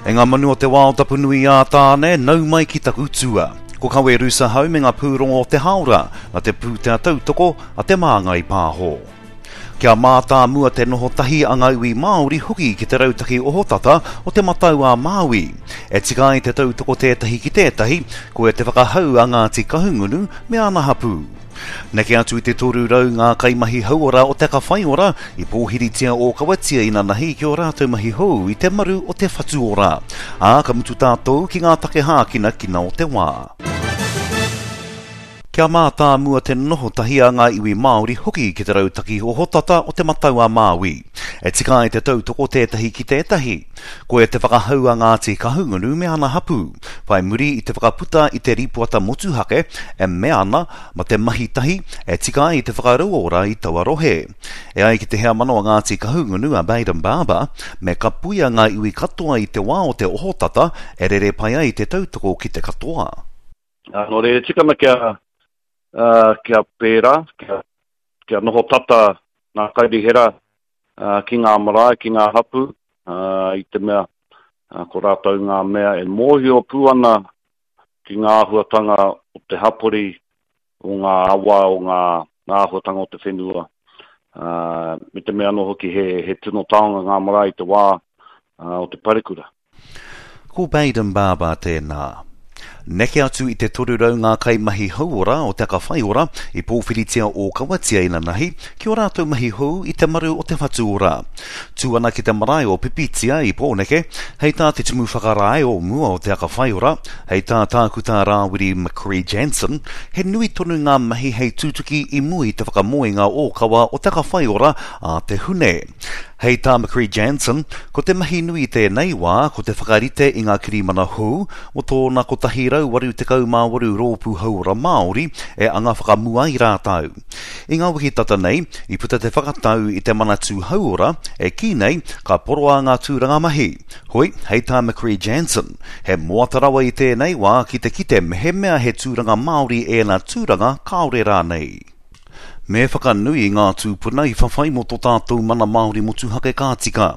E ngā manu o te wao tapu nui ā Tāne, nau mai ki taku tua. Ko Kawe Rusa hau me ngā pūrongo o te hāora, na te pūtea tautoko a Te Māngai Pāho. Kia mātāmua te noho tahi a ngā iwi Māori hoki ki te rautaki ohotata o Te Matau a Māui. E tika ai te tautoko tētahi ki tētahi, koia te whakahau a Ngāti Kahungunu me ana hapū. Neke atu i te 300 ngā kaimahi hauora o Te Aka Whaiora i pōhiritia ōkawatia inanahi ki ō rātou mahi hou i te maru o Te Whatu Ora. Ā, ka mutu tātou ki ngā take hākinakina o te wā. Kia mātāmua te noho tahi a ngā iwi Māori hoki ki te rautaki ohotata o Te Matau-a-Māui. E tika ai te tautoko tētahi ki tētahi. Koia te whakahau a Ngāti Kahungunu me ana hapū. Whai muri i te whakaputa i te rīpoata motuhake e mea ana ma te mahi tahi e tika ai te whakarauora i taua rohe. E ai ki te heamana o Ngāti Kahungunu a Bayden Barber, me kapuia ngā iwi katoa i te wā o te ohotata e rere pai ai te tautoko ki te katoa. Nō reira, e tika ana kia, kia pērā, kia, kia noho tata ngā kairihera ki ngā marae, ki ngā hapū, i te mea ko rātou ngā mea e mōhio pū ana ki ngā āhuatanga o te hapori, o ngā awa, o ngā āhuatanga o te whenua, me te mea anō hoki he, he tino taonga ngā marae i te wā o te parekura. Ko Bayden Barber tēnā. Neke atu i te 300 ngā kaimahi hauora o Te Aka Whaiora i pōwhiritia ōkawatia inanahi ki ō rātou mahi hou i te maru o Te Whatu Ora. Tū ana ki te marae o Pipitia i Pōneke, hei tā te Tumu Whakarae o mua o Te Aka Whaiora, hei tā Tākuta Rāwiri McCree Jansen, he nui tonu ngā mahi hei tutuki i mua i te whakamoenga ōkawa o Te Aka Whaiora ā te Hune. Hei tā McCree Jansen, ko te mahi nui i tēnei wā ko te whakarite i ngā kirimana hou mō tōna 188 rōpū hauora Māori e anga whakamua ai rātou. I ngā wiki tata nei, i puta te whakatau i te Manatū Hauora e kī nei ka poroa ngā tūranga mahi. Hoi, hei tā McCree Jansen, he moata rawa i tēnei wā ki te kite mehemea he tūranga Māori ēnā tūranga kāore rānei. Me whakanui i ngā tūpuna i whawhai mō tō tātou mana Māori motuhake ka tika.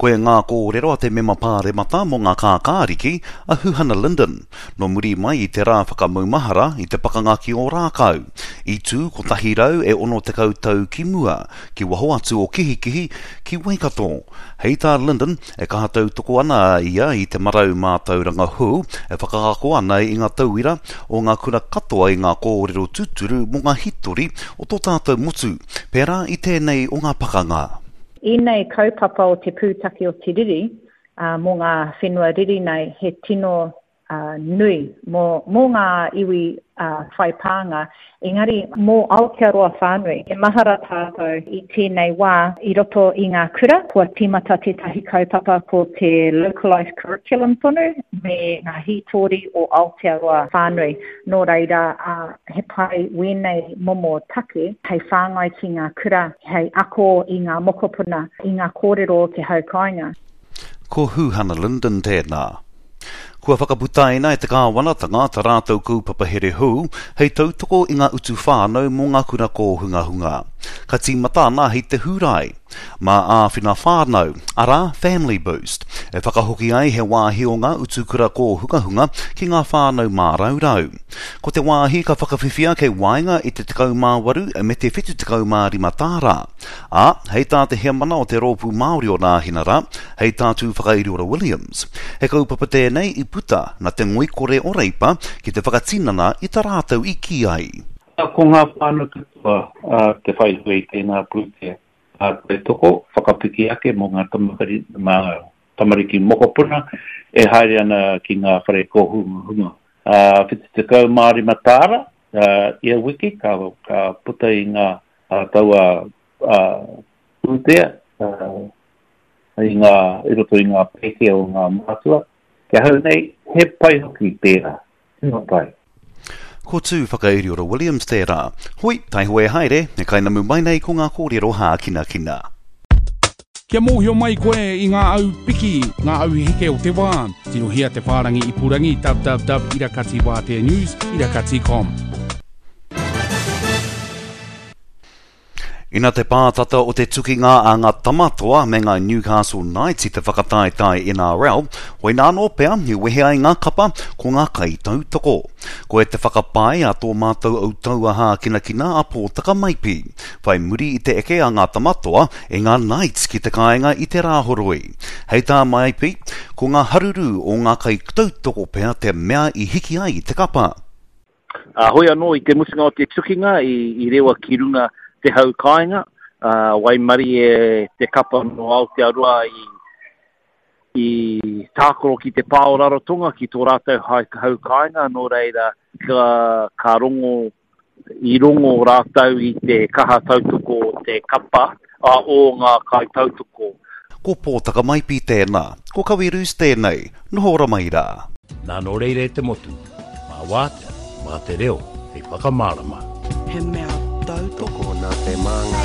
Koia ngā kōrero a te mema pāremata mō ngā kākāriki, a Huhana Lyndon, nō muri mai i te rā whakamaumahara i te pakanga ki Ōrākau, i tū 100 e 60 tau ki mua, ki waho atu o Kihikihi, ki Waikato. Hei tā Lyndon, E kaha tautoko ana a ia i te marau mātauranga hou e whakaako ana i ngā tauira o ngā kura katoa i ngā kōrero tūturu mō ngā hitori o tō tātou motu, pērā i tēnei o ngā pakanga. Ēnei kaupapa o te pūtake o te riri, mō ngā whenua riri nei, he tino nui mō, mō ngā iwi whai pānga, engari mō Aotearoa whānui. E mahara tātou i tēnei wā i roto i ngā kura, kua tīmata tētahi kaupapa ko te localised curriculum tonu me ngā hītori o Aotearoa whānui. Nō reira, he pai wēnei momo take hei whāngai ki ngā kura, hei ako i ngā mokopuna, i ngā kōrero o te hau kāinga. Ko Huhana Lyndon tēnā. Kua whakaputaina e te kāwanatanga tā rātou kaupapa here hou hei tautoko i ngā utu whānau mō ngā kura kōhungahunga. Ka tīmata ana hei te Hūrae. Mā Āwhina Whānau, arā, Family Boost, e whakahoki ai he wāhi o ngā utu kura kōhungahunga ki ngā whānau māraurau. Ko te wāhi ka whakawhiwhia kei waenga i te 18 me te 75 tāra. Ā, hei tā te heamana o te Rōpū Māori o Nāhinara, hei tā Tūwhakairiora Williams, he kaupapa tēnei i puta na te ngoikore o Reipa ki te whakatinana i ta rātou i kī ai. Ko ngā whānau katoa te whai hua i tēnā pūtea tautoko whakapiki ake mō ngā tamariki mokopuna e haere ana ki ngā whare kōhungahunga. 75 tāra ia wiki ka puta i ngā taua pūtea i ngā, i roto i ngā pēke o ngā mātua. Ki ahau nei, he pai hoki tērā, tino pai. Ko Tū Whakairiora Williams tērā. Hoi, taihoa e haere, e kainamu mai nei ko ngā kōrero hākinakina. Kia mōhio mai koe i ngā au piki, ngā au heke o te wā, tirohia te whārangi ipurangi www irakati wātea news irakati com. Ina te pātata o te tukinga a ngā Tamatoa me ngā Newcastle Knights i te whakataetae NRL, hoina anō pea i wehe ai ngā kapa ko ngā kaitautoko. Koe te whakapae a tō mātou autaua hākinakina a Pōtaka Maipi, whai muri i te eke a ngā Tamatoa e ngā Knights ki te kāinga i te Rāhoroi. Hei tā Maipi, ko ngā haruru o ngā kaitautoko pea te mea i hiki ai te kapa. Ā, hoi anō i te mutunga o te tukinga i rewa ki runga te hau kāinga, ā, waimarie te kapa nō Aotearoa i, i tākaro ki te pā o Rarotonga ki tō rātou hau kāinga, nō reira ka, ka rongo, i rongo rātou i te kaha tautoko o te kapa, ā, o ngā kaitautoko. Ko Pōtaka Maipi tēnā, ko Kawi Roos tēnei, noho ora mai rā. Nā nō reira e te motu, mā wātea, mā te reo hei whakamārama. He mea tautoko. Tokona te māngai.